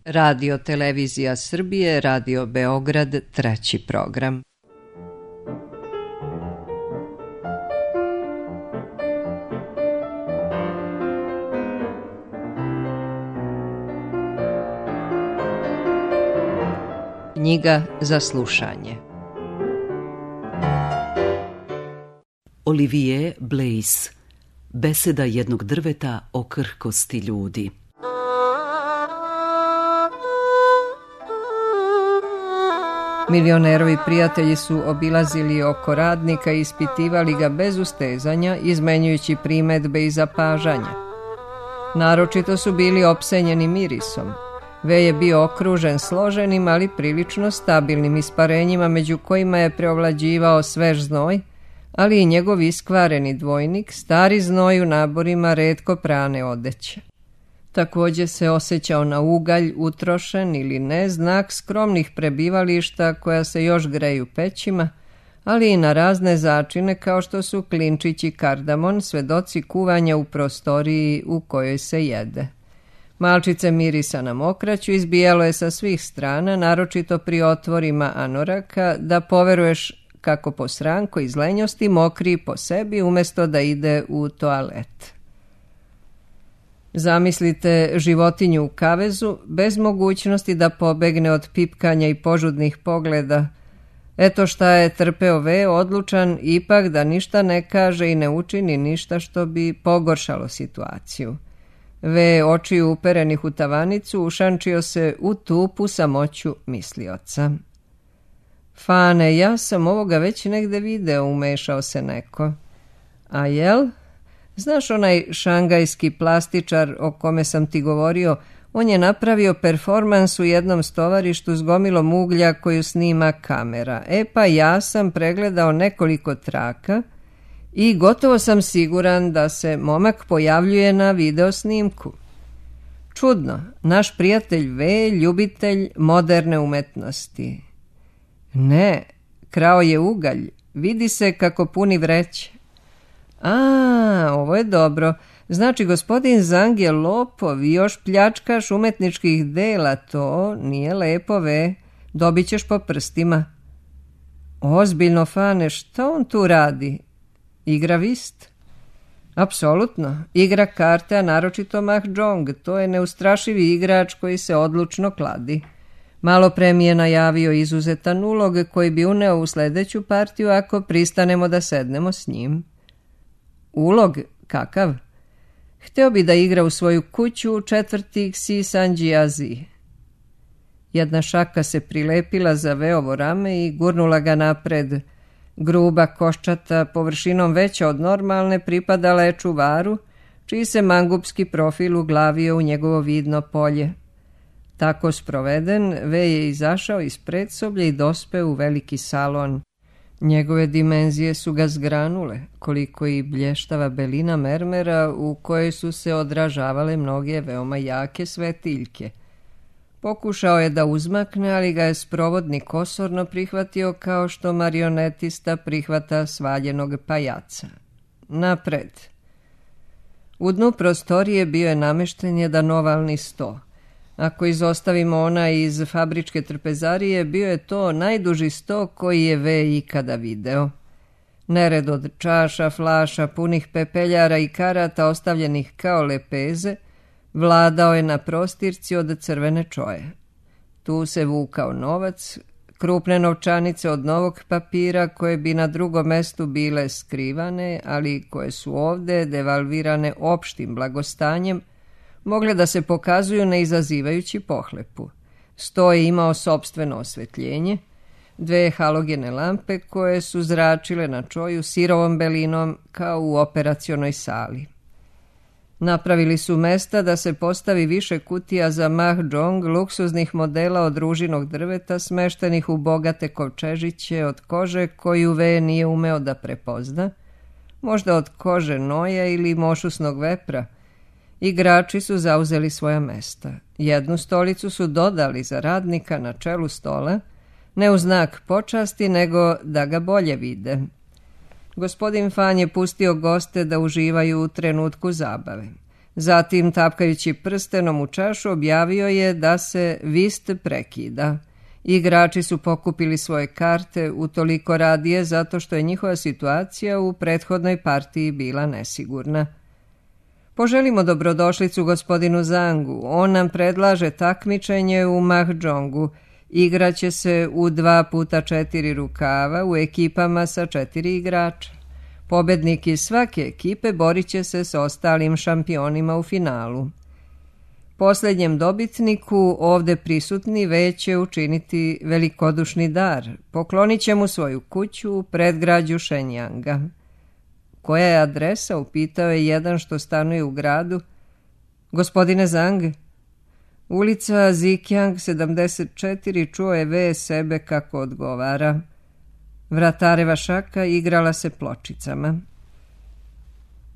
Radio Televizija Srbije, Radio Beograd, treći program. Knjiga za slušanje. Olivier Blaise. Beseda jednog drveta o krhkosti ljudi. Milionerovi prijatelji su obilazili oko radnika i ispitivali ga bez ustezanja, izmenjujući primedbe i zapažanja. Naročito su bili opsenjeni mirisom. Ve je bio okružen složenim, ali prilično stabilnim isparenjima, među kojima je preovlađivao svež znoj, ali i njegov iskvareni dvojnik, stari znoj u naborima retko prane odeće. Također se osjećao na ugalj, utrošen ili ne, znak skromnih prebivališta koja se još greju pećima, ali i na razne začine kao što su klinčić i kardamon, svedoci kuvanja u prostoriji u kojoj se jede. Malčice mirisa na mokraću izbijalo je sa svih strana, naročito pri otvorima anoraka, da poveruješ kako po sranko iz lenjosti mokri po sebi umjesto da ide u toalet. Zamislite životinju u kavezu, bez mogućnosti da pobegne od pipkanja i požudnih pogleda. Eto šta je trpeo Ve, odlučan ipak da ništa ne kaže i ne učini ništa što bi pogoršalo situaciju. Ve, očiju uperenih u tavanicu, ušančio se u tupu samoću mislioca. Fane, ja sam ovoga već negde video, umešao se neko. A jel? Znaš onaj šangajski plastičar o kome sam ti govorio, on je napravio performans u jednom stovarištu s gomilom uglja koju snima kamera. E pa ja sam pregledao nekoliko traka i gotovo sam siguran da se momak pojavljuje na video snimku. Čudno, naš prijatelj V, ljubitelj moderne umetnosti. Ne, krao je ugalj, vidi se kako puni vreće. A, ovo je dobro. Znači, gospodin Zang je lopov i još pljačkaš umetničkih dela, to nije lepo, Ve. Dobit ćeš po prstima. Ozbiljno, Fane, šta on tu radi? Igra vist? Apsolutno. Igra karte, a naročito mahjong. To je neustrašivi igrač koji se odlučno kladi. Malo pre mi je najavio izuzetan ulog koji bi uneo u sljedeću partiju ako pristanemo da sednemo s njim. Ulog? Kakav? Hteo bi da igra u svoju kuću u četvrti Xi Sanjiazi. Jedna šaka se prilepila za Veovo rame i gurnula ga napred. Gruba koščata, površinom veća od normalne, pripadala je čuvaru, čiji se mangupski profil uglavio u njegovo vidno polje. Tako sproveden, Ve je izašao iz predsoblja i dospeo u veliki salon. Njegove dimenzije su ga zgranule, koliko i blještava belina mermera u kojoj su se odražavale mnoge veoma jake svetiljke. Pokušao je da uzmakne, ali ga je sprovodnik osorno prihvatio kao što marionetista prihvata svaljenog pajaca. Napred. U dnu prostorije bio je namešten jedan ovalni sto. Ako izostavimo onaj iz fabričke trpezarije, bio je to najduži sto koji je Ve ikada video. Nered od čaša, flaša, punih pepeljara i karata ostavljenih kao lepeze, vladao je na prostirci od crvene čoje. Tu se vukao novac, krupne novčanice od novog papira koje bi na drugom mestu bile skrivane, ali koje su ovde devalvirane opštim blagostanjem, mogle da se pokazuju ne izazivajući pohlepu. Sto je imao sopstveno osvetljenje, 2 halogene lampe koje su zračile na čoju sirovom belinom kao u operacionoj sali. Napravili su mesta da se postavi više kutija za mahjong, luksuznih modela od ružinog drveta smeštenih u bogate kovčežiće od kože koju Ve nije umeo da prepozna, možda od kože noja ili mošusnog vepra. Igrači su zauzeli svoja mesta. Jednu stolicu su dodali za radnika na čelu stola, ne u znak počasti, nego da ga bolje vide. Gospodin Fan je pustio goste da uživaju u trenutku zabave. Zatim, tapkajući prstenom u čašu, objavio je da se vist prekida. Igrači su pokupili svoje karte utoliko radije zato što je njihova situacija u prethodnoj partiji bila nesigurna. Poželimo dobrodošlicu gospodinu Zangu. On nam predlaže takmičenje u mahđongu. Igraće se u 2x4 rukava u ekipama sa 4 igrača. Pobednik iz svake ekipe borit će se s ostalim šampionima u finalu. Posljednjem dobitniku ovde prisutni već će učiniti velikodušni dar. Poklonit će mu svoju kuću u predgrađu Šenjanga. Koja je adresa? Upitao je jedan što stanuje u gradu. Gospodine Zang, ulica Zikjang 74, čuo je ve sebe kako odgovara. Vratareva šaka igrala se pločicama.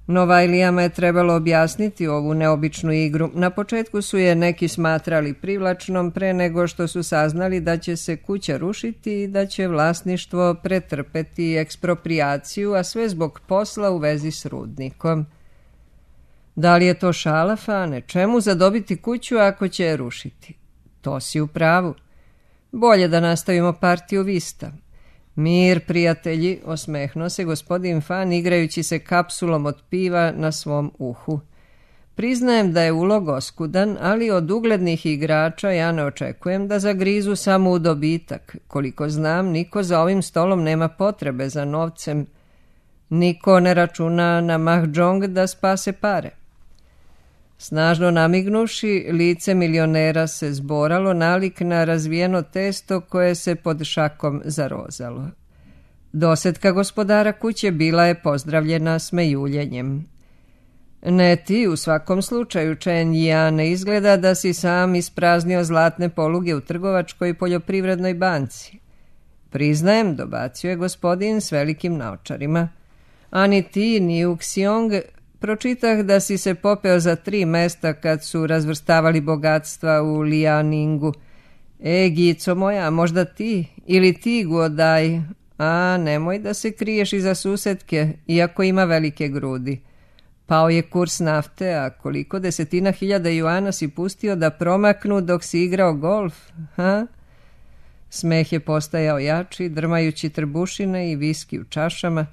Novajlijama je trebalo objasniti ovu neobičnu igru. Na početku su je neki smatrali privlačnom pre nego što su saznali da će se kuća rušiti i da će vlasništvo pretrpeti eksproprijaciju, a sve zbog posla u vezi s rudnikom. Da li je to šala, Fane? Čemu zadobiti kuću ako će je rušiti? To si u pravu. Bolje da nastavimo partiju vista. Mir, prijatelji, osmehnuo se gospodin Fan igrajući se kapsulom od piva na svom uhu. Priznajem da je ulog oskudan, ali od uglednih igrača ja ne očekujem da zagrizu samo u dobitak. Koliko znam, niko za ovim stolom nema potrebe za novcem. Niko ne računa na mahđong da spase pare. Snažno namignuši, lice milionera se zboralo nalik na razvijeno testo koje se pod šakom zarozalo. Dosetka gospodara kuće bila je pozdravljena smejuljenjem. Ne ti, u svakom slučaju, Čen Ja, ne izgleda da si sam ispraznio zlatne poluge u trgovačkoj poljoprivrednoj banci. Priznajem, dobacio je gospodin s velikim naočarima. A ni ti, ni u Xiong. Pročitah da si se popeo za 3 mesta kad su razvrstavali bogatstva u Lianingu. Gico moja, možda ti? Ili ti, Guodaj? A, nemoj da se kriješ iza susetke, iako ima velike grudi. Pao je kurs nafte, a koliko 10.000 juana si pustio da promaknu dok si igrao golf, ha? Smeh je postajao jači, drmajući trbušine i viski u čašama.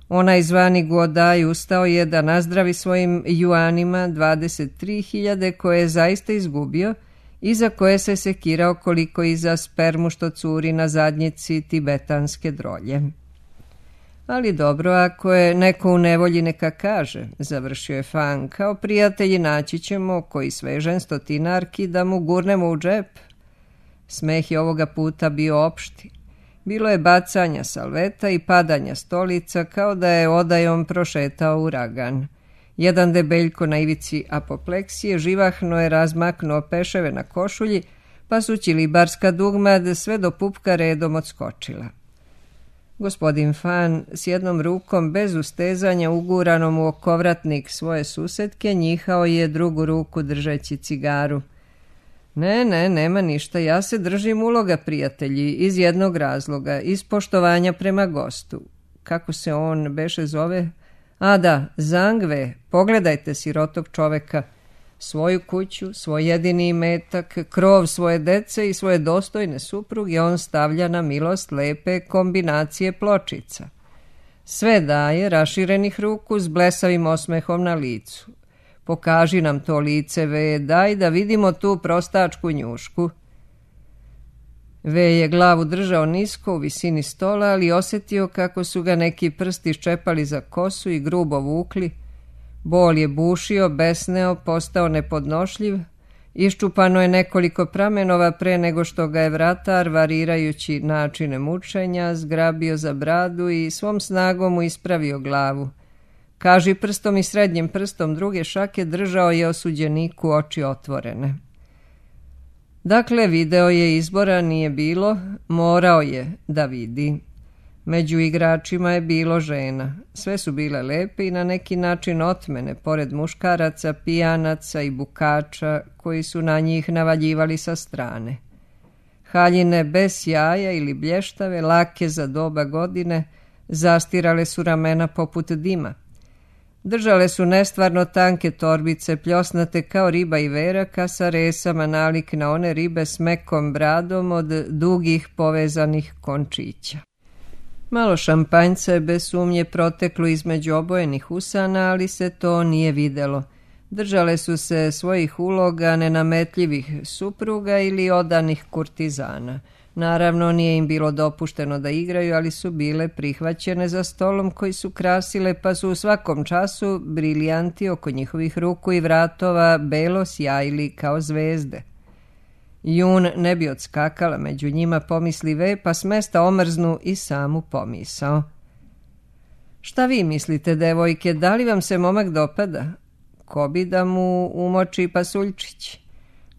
Onaj zvani Guodaj ustao je da nazdravi svojim juanima 23.000 koje je zaista izgubio i za koje se sekirao koliko i za spermu što curi na zadnjici tibetanske drolje. Ali dobro, ako je neko u nevolji neka kaže, završio je Fan, kao prijatelji naći ćemo koji svežen stotinarki da mu gurnemo u džep. Smeh je ovoga puta bio opšti. Bilo je bacanja salveta i padanja stolica kao da je odajom prošetao uragan. Jedan debeljko na ivici apopleksije živahno je razmaknuo peševe na košulji, pa su ćilibarska dugmad sve do pupka redom odskočila. Gospodin Fan s jednom rukom bez ustezanja uguranom u okovratnik svoje susetke njihao je drugu ruku držeći cigaru. Ne, nema ništa, ja se držim uloga, prijatelji, iz jednog razloga, iz poštovanja prema gostu. Kako se on beše zove? A da, Zangve, pogledajte sirotog čoveka, svoju kuću, svoj jedini imetak, krov svoje dece i svoje dostojne supruge on stavlja na milost lepe kombinacije pločica. Sve daje raširenih ruku s blesavim osmehom na licu. Pokaži nam to lice, Ve, daj da vidimo tu prostačku njušku. Ve je glavu držao nisko u visini stola, ali osjetio kako su ga neki prsti ščepali za kosu i grubo vukli. Bol je bušio, besneo, postao nepodnošljiv. Iščupano je nekoliko pramenova pre nego što ga je vratar, varirajući načine mučenja, zgrabio za bradu i svom snagom mu ispravio glavu. Kaži prstom i srednjim prstom druge šake držao je osuđeniku oči otvorene. Dakle, video je, izbora nije bilo, morao je da vidi. Među igračima je bilo žena. Sve su bile lepe i na neki način otmene, pored muškaraca, pijanaca i bukača koji su na njih navaljivali sa strane. Haljine bez jaja ili blještave, lake za doba godine, zastirale su ramena poput dima. Držale su nestvarno tanke torbice, pljosnate kao riba i veraka, sa resama nalik na one ribe s mekom bradom od dugih povezanih končića. Malo šampanjca je bez sumnje proteklo između obojenih usana, ali se to nije videlo. Držale su se svojih uloga nenametljivih supruga ili odanih kurtizana. Naravno, nije im bilo dopušteno da igraju, ali su bile prihvaćene za stolom koji su krasile, pa su u svakom času briljanti oko njihovih ruku i vratova belo sjajili kao zvezde. Jun ne bi odskakala među njima, pomisli Ve, pa s mesta omrznu i samu pomisao. Šta vi mislite, devojke, da li vam se momak dopada? Ko bi da mu umoči pasuljčić?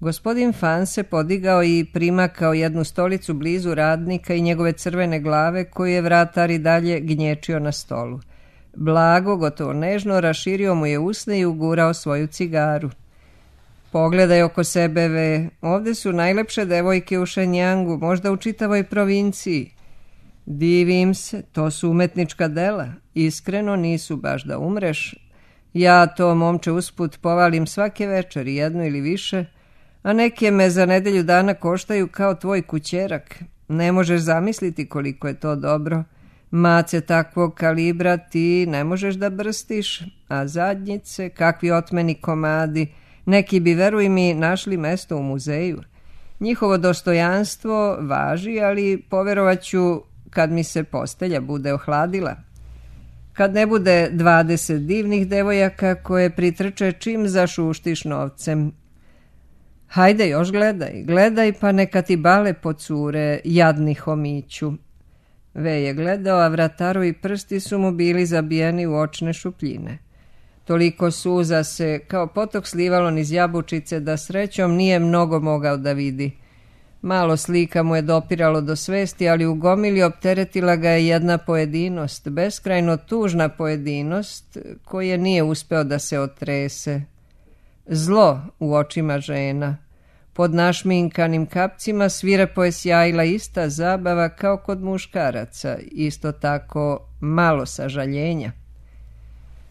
Gospodin Fan se podigao i primakao jednu stolicu blizu radnika i njegove crvene glave koju je vratar i dalje gnječio na stolu. Blago, gotovo nežno, raširio mu je usne i ugurao svoju cigaru. Pogledaj oko sebe, Ve, ovdje su najlepše devojke u Šenjangu, možda u čitavoj provinciji. Divim se, to su umetnička dela, iskreno nisu baš da umreš. Ja to, momče, usput povalim svake večeri, jedno ili više, a neke me za nedelju dana koštaju kao tvoj kućerak. Ne možeš zamisliti koliko je to dobro. Mace takvog kalibra ti ne možeš da brstiš, a zadnjice, kakvi otmeni komadi, neki bi, veruj mi, našli mesto u muzeju. Njihovo dostojanstvo važi, ali poverovaću kad mi se postelja bude ohladila. Kad ne bude 20 divnih devojaka koje pritrče čim zašuštiš novcem. Hajde još gledaj pa neka ti bale pocure, jadni homiću. Ve je gledao, a vratarovi prsti su mu bili zabijeni u očne šupljine. Toliko suza se kao potok slivalo niz jabučice da srećom nije mnogo mogao da vidi. Malo slika mu je dopiralo do svesti, ali u gomili opteretila ga je jedna pojedinost, beskrajno tužna pojedinost koje nije uspeo da se otrese. Zlo u očima žena. Pod našminkanim kapcima svirepo je sjajila ista zabava kao kod muškaraca, isto tako malo sažaljenja.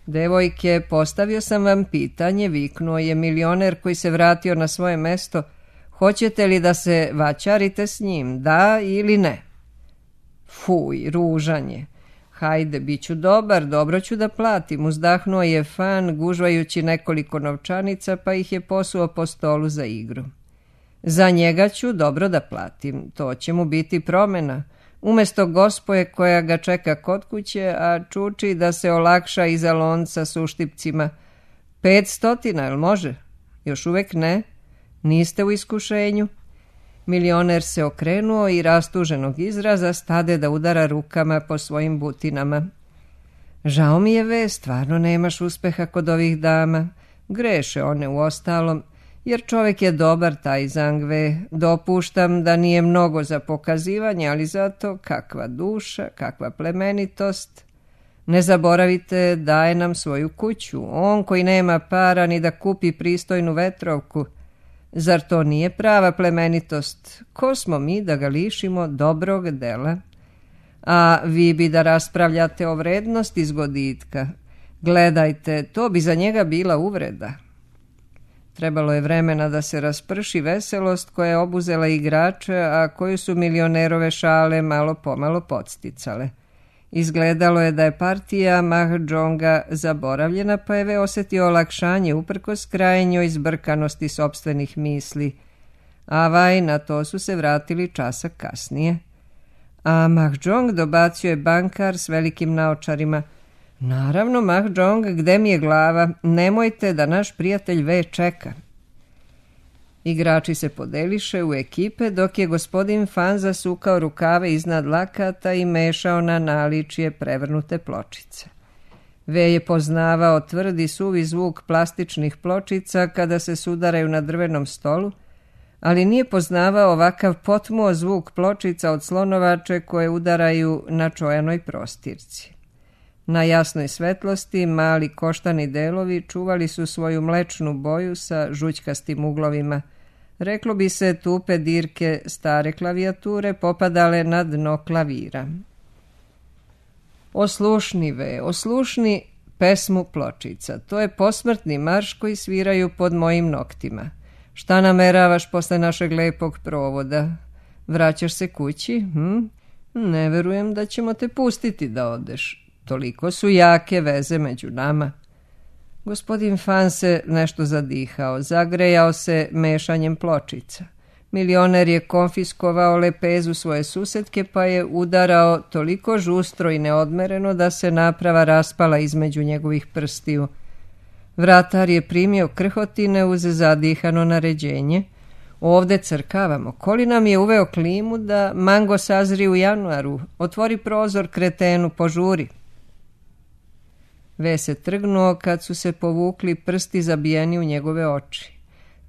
Devojke, postavio sam vam pitanje, viknuo je milioner koji se vratio na svoje mesto. Hoćete li da se vaćarite s njim, da ili ne? Fuj, ružan je. Hajde, bit ću dobar, dobro ću da platim, uzdahnuo je Fan, gužvajući nekoliko novčanica, pa ih je posuo po stolu za igru. Za njega ću dobro da platim, to će mu biti promjena. Umesto gospoje koja ga čeka kod kuće, a čuči da se olakša iza lonca s uštipcima. 500, jel može? Još uvek ne? Niste u iskušenju? Milioner se okrenuo i rastuženog izraza stade da udara rukama po svojim butinama. Žao mi je, Ve, stvarno nemaš uspeha kod ovih dama. Greše one u ostalom, jer čovjek je dobar taj Zhang Ve. Dopuštam da nije mnogo za pokazivanje, ali zato kakva duša, kakva plemenitost. Ne zaboravite, daje nam svoju kuću, on koji nema para ni da kupi pristojnu vetrovku. Zar to nije prava plemenitost? Ko smo mi da ga lišimo dobrog dela? A vi bi da raspravljate o vrednosti zgoditka. Gledajte, to bi za njega bila uvreda. Trebalo je vremena da se rasprši veselost koja je obuzela igrače, a koju su milionerove šale malo pomalo podsticale. Izgledalo je da je partija Mahjonga zaboravljena, pa je Ve osjetio olakšanje uprkos krajnjoj zbrkanosti sopstvenih misli. A Vaj na to su se vratili časa kasnije. A Mahjong, dobacio je bankar s velikim naočarima. Naravno, Mahjong, gde mi je glava? Nemojte da naš prijatelj Ve čeka. Igrači se podeliše u ekipe, dok je gospodin Fan zasukao rukave iznad lakata i mešao na naličje prevrnute pločice. Ve je poznavao tvrdi suvi zvuk plastičnih pločica kada se sudaraju na drvenom stolu, ali nije poznavao ovakav potmuo zvuk pločica od slonovače koje udaraju na čojanoj prostirci. Na jasnoj svetlosti mali koštani delovi čuvali su svoju mlečnu boju sa žućkastim uglovima. Reklo bi se, tupe dirke stare klavijature popadale na dno klavira. Oslušni, Ve, oslušni, pesmu pločica. To je posmrtni marš koji sviraju pod mojim noktima. Šta nameravaš posle našeg lepog provoda? Vraćaš se kući? Ne verujem da ćemo te pustiti da odeš. Toliko su jake veze među nama. Gospodin Fan se nešto zadihao, zagrejao se mešanjem pločica. Milioner je konfiskovao lepezu svoje susetke, pa je udarao toliko žustro i neodmereno da se naprava raspala između njegovih prstiju. Vratar je primio krhotine uz zadihano naređenje. Ovde crkavamo. Koli nam je uveo klimu da mango sazri u januaru. Otvori prozor, kretenu, požuri. Ve se trgnuo kad su se povukli prsti zabijeni u njegove oči.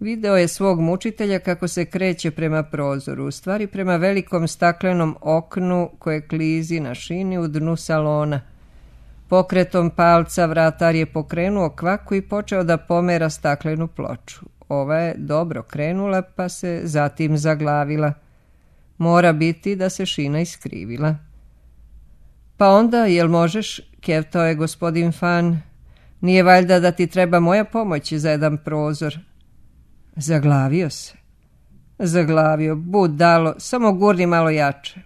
Video je svog mučitelja kako se kreće prema prozoru, u stvari prema velikom staklenom oknu koje klizi na šini u dnu salona. Pokretom palca vratar je pokrenuo kvaku i počeo da pomera staklenu ploču. Ova je dobro krenula, pa se zatim zaglavila. Mora biti da se šina iskrivila. Pa onda, jel možeš, kevtao je gospodin Fan, nije valjda da ti treba moja pomoć za jedan prozor? Zaglavio se. Zaglavio, budalo, samo gurni malo jače.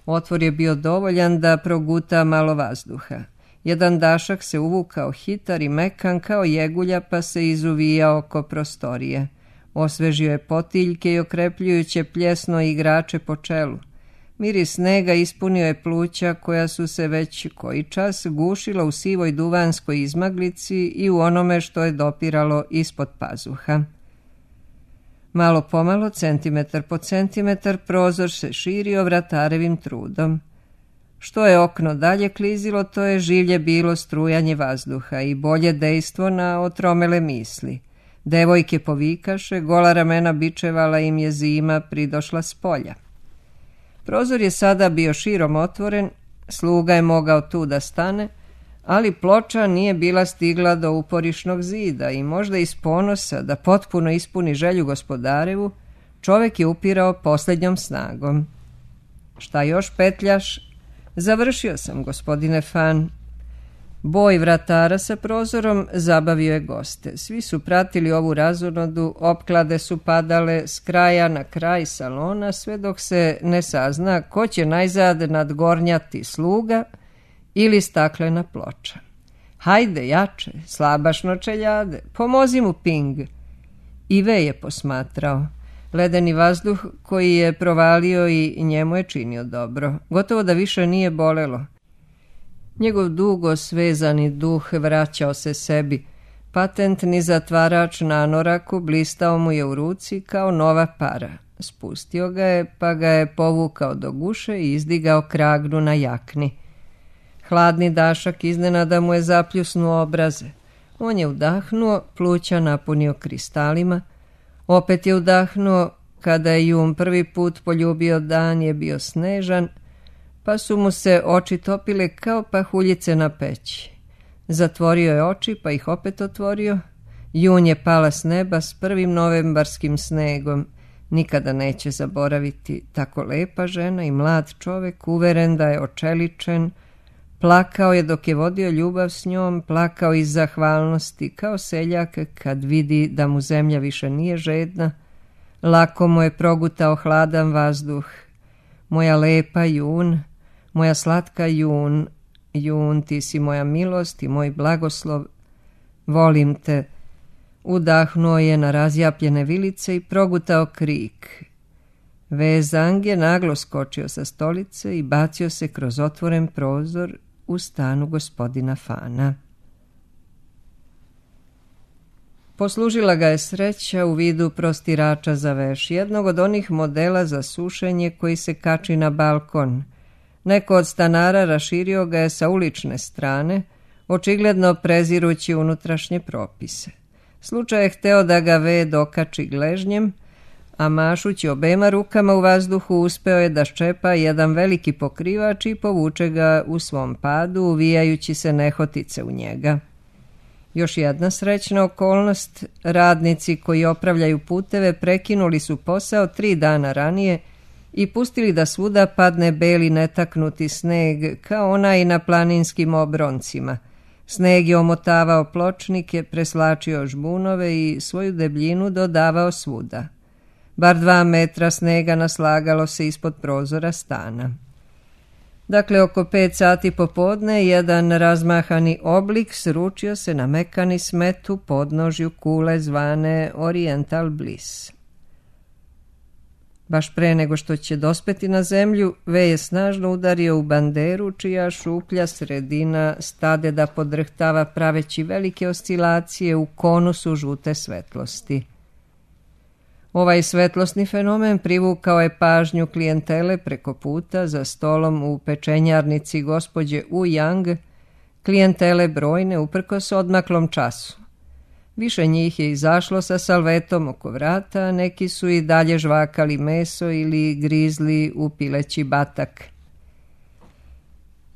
Otvor je bio dovoljan da proguta malo vazduha. Jedan dašak se uvukao hitar i mekan kao jegulja, pa se izuvijao oko prostorije. Osvežio je potiljke i okrepljujuće pljesno igrače po čelu. Miris snega ispunio je pluća koja su se već koji čas gušila u sivoj duvanskoj izmaglici i u onome što je dopiralo ispod pazuha. Malo pomalo, centimetar po centimetar, prozor se širio vratarevim trudom. Što je okno dalje klizilo, to je življe bilo strujanje vazduha i bolje dejstvo na otromele misli. Devojke povikaše, gola ramena bičevala im je zima pridošla s polja. Prozor je sada bio širom otvoren, sluga je mogao tu da stane, ali ploča nije bila stigla do uporišnog zida i možda iz ponosa da potpuno ispuni želju gospodarevu, čovek je upirao posljednjom snagom. Šta još petljaš? Završio sam, gospodine Fan. Boj vratara sa prozorom zabavio je goste. Svi su pratili ovu razonodu, opklade su padale s kraja na kraj salona, sve dok se ne sazna ko će najzad nadgornjati, sluga ili staklena ploča. Hajde, jače, slabašno čeljade, pomozi mu Ping. Ive je posmatrao. Ledeni vazduh koji je provalio i njemu je činio dobro. Gotovo da više nije bolelo. Njegov dugo svezani duh vraćao se sebi. Patentni zatvarač na anoraku blistao mu je u ruci kao nova para. Spustio ga je, pa ga je povukao do guše i izdigao kragnu na jakni. Hladni dašak iznenada mu je zapljusnuo obraze. On je udahnuo, pluća napunio kristalima. Opet je udahnuo. Kada je Jun prvi put poljubio dan je bio snežan, pa su mu se oči topile kao pahuljice na peći. Zatvorio je oči, pa ih opet otvorio. Jun je pala s neba s prvim novembarskim snegom. Nikada neće zaboraviti. Tako lepa žena i mlad čovek, uveren da je očeličen. Plakao je dok je vodio ljubav s njom, plakao iz zahvalnosti, kao seljak kad vidi da mu zemlja više nije žedna. Lako mu je progutao hladan vazduh. Moja lepa Jun, moja slatka Jun, Jun, ti si moja milost i moj blagoslov. Volim te. Udahnuo je na razjapljene vilice i progutao krik. Vezang je naglo skočio sa stolice i bacio se kroz otvoren prozor u stanu gospodina Fana. Poslužila ga je sreća u vidu prostirača za veš, jednog od onih modela za sušenje koji se kači na balkon. Neko od stanara raširio ga je sa ulične strane, očigledno prezirući unutrašnje propise. Slučaj je hteo da ga ve dokači gležnjem, a mašući obema rukama u vazduhu uspeo je da ščepa jedan veliki pokrivač i povuče ga u svom padu, uvijajući se nehotice u njega. Još jedna srećna okolnost, radnici koji opravljaju puteve prekinuli su posao 3 dana ranije i pustili da svuda padne beli netaknuti sneg kao onaj na planinskim obroncima. Sneg je omotavao pločnike, preslačio žbunove i svoju debljinu dodavao svuda. Bar 2 metra snega naslagalo se ispod prozora stana. Dakle, oko 5 sati popodne jedan razmahani oblik sručio se na mekani smet u podnožju kule zvane Oriental Bliss. Baš pre nego što će dospeti na zemlju, V je snažno udario u banderu, čija šuplja sredina stade da podrhtava praveći velike oscilacije u konusu žute svetlosti. Ovaj svetlosni fenomen privukao je pažnju klijentele preko puta za stolom u pečenjarnici gospođe U Yang, klijentele brojne uprkos odmaklom času. Više njih je izašlo sa salvetom oko vrata, a neki su i dalje žvakali meso ili grizli u pileći batak.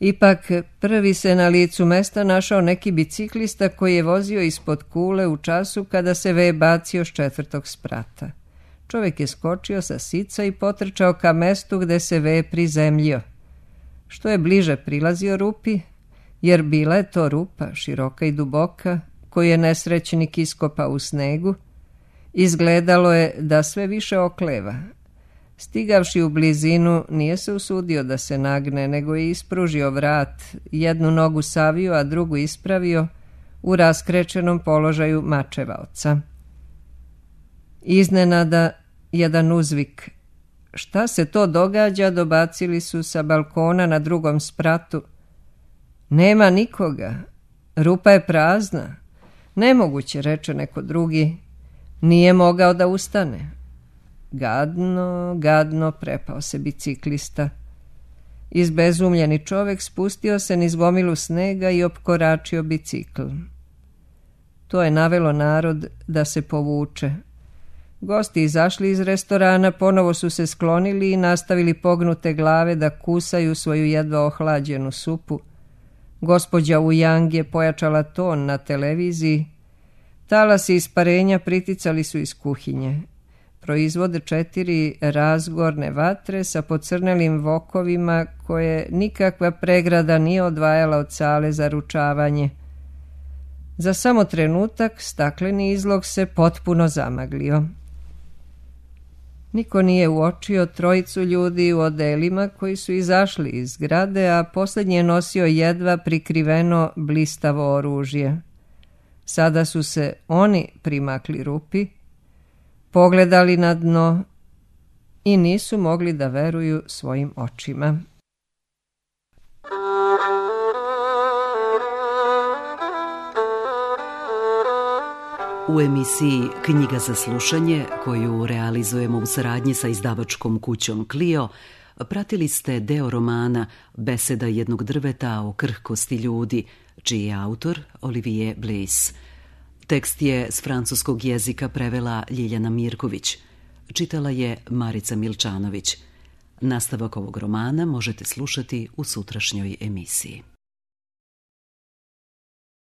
Ipak prvi se na licu mesta našao neki biciklista koji je vozio ispod kule u času kada se V bacio s 4. sprata. Čovjek je skočio sa sica i potrčao ka mestu gde se V prizemljio. Što je bliže prilazio rupi, jer bila je to rupa, široka i duboka, koju je nesrećnik iskopao u snegu, izgledalo je da sve više okleva. Stigavši u blizinu, nije se usudio da se nagne, nego je ispružio vrat, jednu nogu savio, a drugu ispravio u raskrečenom položaju mačevaoca. Iznenada jedan uzvik. Šta se to događa, dobacili su sa balkona na 2. spratu. Nema nikoga. Rupa je prazna. Nemoguće, reče neko drugi. Nije mogao da ustane. Gadno prepao se biciklista. Izbezumljeni čovjek spustio se niz gomilu snega i opkoračio bicikl. To je navelo narod da se povuče. Gosti izašli iz restorana, ponovo su se sklonili i nastavili pognute glave da kusaju svoju jedva ohlađenu supu. Gospođa U Yang je pojačala ton na televiziji. Talasi isparenja priticali su iz kuhinje. Proizvode 4 razgorne vatre sa pocrnelim vokovima koje nikakva pregrada nije odvajala od sale za ručavanje. Za samo trenutak stakleni izlog se potpuno zamaglio. Niko nije uočio 3 ljudi u odelima koji su izašli iz zgrade, a posljednji je nosio jedva prikriveno blistavo oružje. Sada su se oni primakli rupi, pogledali na dno i nisu mogli da veruju svojim očima. U emisiji Knjiga za slušanje, koju realizujemo u saradnji sa izdavačkom kućom Clio, pratili ste deo romana Beseda jednog drveta o krhkosti ljudi, čiji je autor Olivier Bliss. Tekst je s francuskog jezika prevela Ljiljana Mirković. Čitala je Marica Milčanović. Nastavak ovog romana možete slušati u sutrašnjoj emisiji.